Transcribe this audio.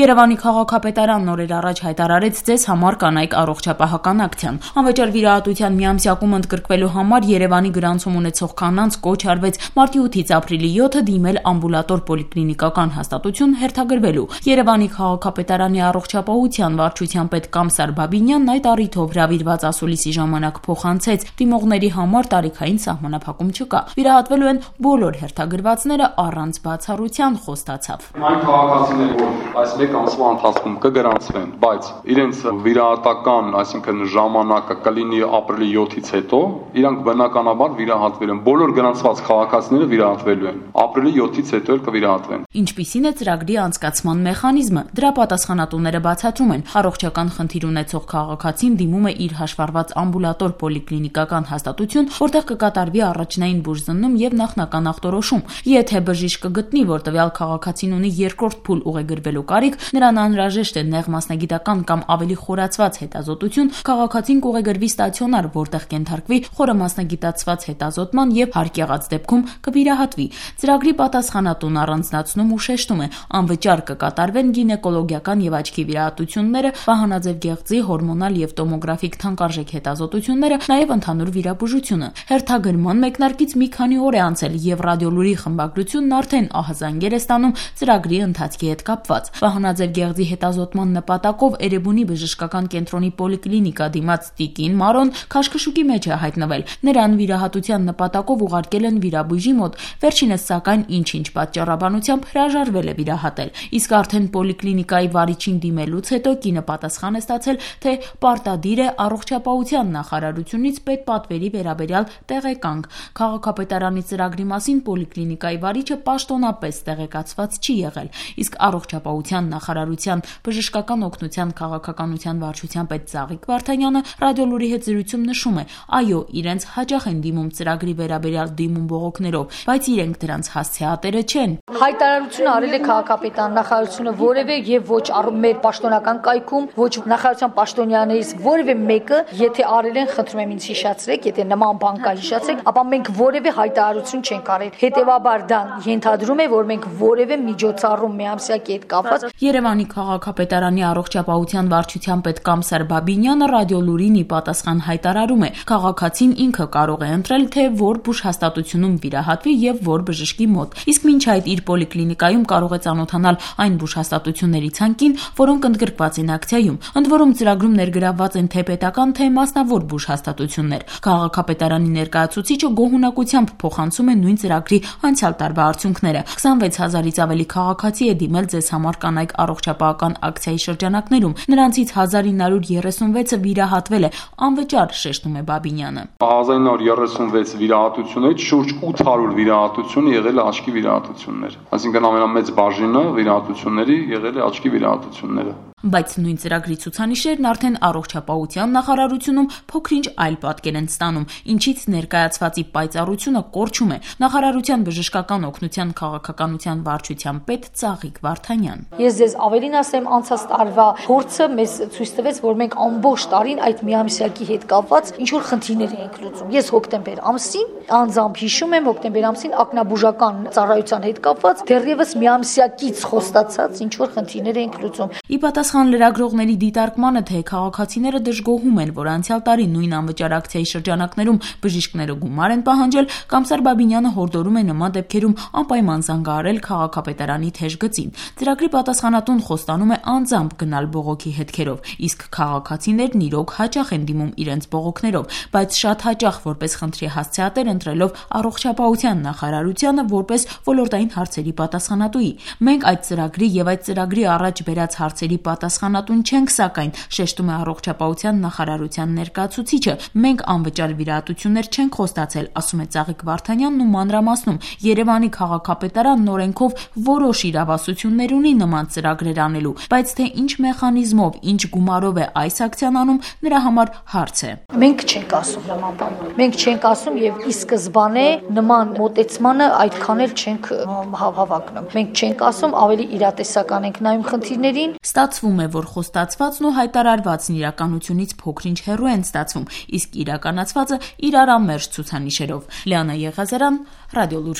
Երևանի քաղաքապետարանն օրեր առաջ հայտարարեց ձեզ համար կանայք առողջապահական ակցիան։ Անվճար վիրահատության միամսյակում ընդգրկվելու համար Երևանի գրանցում ունեցող կանանց կոչ արվեց մարտի 8-ից ապրիլի 7-ը դիմել ամբուլատոր պոլիկլինիկական հաստատություն հերթագրվելու։ Երևանի քաղաքապետարանի առողջապահության վարչության պետ Կամսար Բաբինյանն այդ առիթով հրավիրված ասուլիսի ժամանակ փոխանցեց դիմողների համար տարիքային սահմանափակում չկա։ Վիրահատվելու են բոլոր հերթագրվածները առանց բացառության, խոստացավ։ Այն քաղաքացիները, որ այս մեկ ամսվա ընթացքում կգրանցվեն, բայց իրենց վիրահատական, այսինքն ժամանակը կլինի ապրիլի 7-ից հետո, իրանք բնականաբար վիրահատվելու են։ Բոլոր գրանցված քաղաքացիները վիրահատվելու են։ Ապրիլի 7-ից հետո էլ կվիրահատվեն։ Ինչպիսին է ծրագրի անցկացման մեխանիզմը։ Դրա պատասխանատուները բացատրում են, առողջական խնդիր ունեցող քաղաքացին դիմում է իր հաշվառված ամբուլատոր պոլիկլինիկական հաստատություն, որտեղ կկատարվի առաջնային բուժզննում եւ նախնական ախտորոշում։ Եթե բժիշկ կգտնի, որ տվյալ քաղաքացին ունի երկրորդ փուլ ուղեգրվելու կարիք, նրան անհրաժեշտ է նեղ մասնագիտական կամ ավելի խորացված հետազոտություն, քաղաքացին կուղեգրվի ստացիոնար, որտեղ կենթարկվի խորը մասնագիտացված հետազոտման եւ հարկ եղած դեպքում կվիրահատվի։ Ծրագրի պատասխանատուն առանձնացնում ու շեշտում է, անվճար կկատարվեն գինեկոլոգիական եւ աչքի վիրահատությունները, վահանաձև գեղձի, հորմոնալ եւ տոմոգրաֆիկ թանկարժեք հետազոտությունները, նաեւ ընդհանուր վիրաբուժությունը։ Հերթագրման մեկնարկից մի քանի օր է անցել եւ ռադիոլուրի խմբագրությունն արդեն ահազանգեր է ստանում ծրագրի ընթացքի հետ կապված։ Վահանաձև գեղձի հետազոտման նպատակով Էրեբունի բժշկական կենտրոնի պոլիկլինիկա դիմաց տիկին Մարոն քաշքշուկի մեջ է հայտնվել։ Նրան վիրահատության նպատակով ուղարկել են վիրաբույժի մոտ, վերջինս սակայն ինչ-ինչ պատճառաբանությամբ հրաժարվել է վիրահատել։ Իսկ արդեն պոլիկլինիկայի վարիչին դիմելուց հետո կինը պատասխան է ստացել, թե պարտադիր է առողջապահության նախարարությունից պետպատվերի վերաբերյալ տեղեկանք։ Քաղաքապետարանի ծրագրի մասին պոլիկլինիկայի վարիչը պաշտոնապես տեղեկացված չի եղել, իսկ առողջապահության նախարարության բժշկական օգնության քաղաքականության վարչության պետ Ծաղիկ Վարդանյանը ռադիոլուրի հետ զրույցում նշում է, այո, իրենց հաճախ են դիմում ծրագրի վերաբերյալ դիմում բողոքներով, բայց իրենք դրանց հասցեատերը չեն։ Հայտարարություն արել է քաղաքապետարան նախարարությունը որևէ եւ ոչ մեր պաշտոնական կայքում, ոչ նախարարության պաշտոնյաներից որևէ մեկը, եթե արել են, խնդրում եմ ինձ հիշացրեք, եթե նման բան կա հիշացրեք, ապա մենք որևէ հայտարարություն չենք արել։ Հետևաբար դա ենթադրում է, որ մենք որևէ միջոցառում միամսյակի հետ կապված։ Երևանի քաղաքապետարանի առողջապահության վարչության պետ Կամսար Բաբինյանը ռադիոլուրին ի պատասխան հայտարարում է, քաղաքացին ինքը կարող է ընտրել, թե որ բուժհաստատությունում վիրահատվի եւ որ բժշկի մոտ։ Իսկ մինչ այդ իր պոլիկլինիկայում կարող է ծանոթանալ այն բուժհաստատությունների ցանկին, որոնք ընդգրկված են ակցիայում։ Ընդ որում ծրագրում ներգրավված են թե պետական, թե մասնավոր բուժհաստատություններ։ Քաղաքապետարանի ներկայացուցիչը գոհունակությամբ փոխանցում է նույն ծրագրի անցյալ տարվա արդյունքները։ 26000-ից ավելի քաղաքացի է դիմել ձեզ համար կանայք առողջապահական ակցիայի շրջանակներում։ Նրանցից 1936-ը վիրահատվել է անվճար, շեշտում է Բաբինյանը։ 1936 վիրահատությունից շուրջ 800 վիրահատություն եղել է աչքի վիրահատություններ։ Այսինքն ամենամեծ բաժինը վիրահատությունների եղել է աչքի վիրահատությունները։ Բայց նույն ծրագրի ցուցանիշերն արդեն առողջապահության նախարարությունում փոքրինչ այլ պատկեր են ստանում, ինչից ներկայացվածի պայծառությունը կորչում է։ Նախարարության բժշկական օգնության քաղաքականության վարչության պետ Ծաղիկ Վարդանյան։ Ես ձեզ ավելին ասեմ, անցած տարվա փորձը մեզ ցույց տվեց, որ մենք ամբողջ տարին այդ միամսյակի հետ կապված ինչ որ խնդիրներ ենք լուծում։ Ես հոկտեմբեր ամսին անձամբ հիշում եմ, հոկտեմբեր ամսին ակնաբուժական ծառայության հետ կապված դեռևս միամսյակից խոստացած ինչ որ խնդիրներ ենք լուծում։ Ի պատասխան լրագրողների դիտարկմանը, թե քաղաքացիները դժգոհում են, որ անցյալ տարի նույն անվճար ակցիայի շրջանակներում բժիշկները գումար են պահանջել, Կամսար Բաբինյանը հորդորում է նման դեպքերում անպայման զանգահարել քաղաքապետարանի թեժ գծին։ Ծրագրի պատասխանատուն խոստանում է անձամբ գնալ բողոքի հետքերով, իսկ քաղաքացիներն իրոք հաճախ են դիմում իրենց բողոքներով, բայց շատ հաճախ որպես խնդրի հասցեատեր ընտրելով առողջապահության նախարարությանը որպես ոլորտային հարցերի պատասխանատուի։ Մենք այդ ծրագրի եւ այդ ծրագրի առաջ բերած հարցերի պատասխանատուն չենք, սակայն շեշտում է առողջապահության նախարարության ներկայացուցիչը։ Մենք անվճար վիրահատություններ չենք խոստացել, ասում է Ծաղիկ Վարդանյանն ու մանրամասնում, Երևանի քաղաքապետարանն օրենքով որոշ իրավասություններ ունի նման ծրագրեր անելու, բայց թե ինչ մեխանիզմով, ինչ գումարով է այս ակցիան անում, նրա համար հարց է։ Մենք չենք ասում նման բան։ Մենք չենք ասում եւ ի սկզբանե նման մոտեցմանը այդքան էլ չենք հավակնում։ Մենք չենք ասում, ավելի իրատեսական ենք նայում խնդիրներին։ Ստացվում է, որ խոստացվածն ու հայտարարվածն իրականությունից փոքրինչ հեռու են ստացվում, իսկ իրականացվածը իրար անմերժ ցուցանիշերով։ Լիանա Եղազարյան, Ռադիոլուր։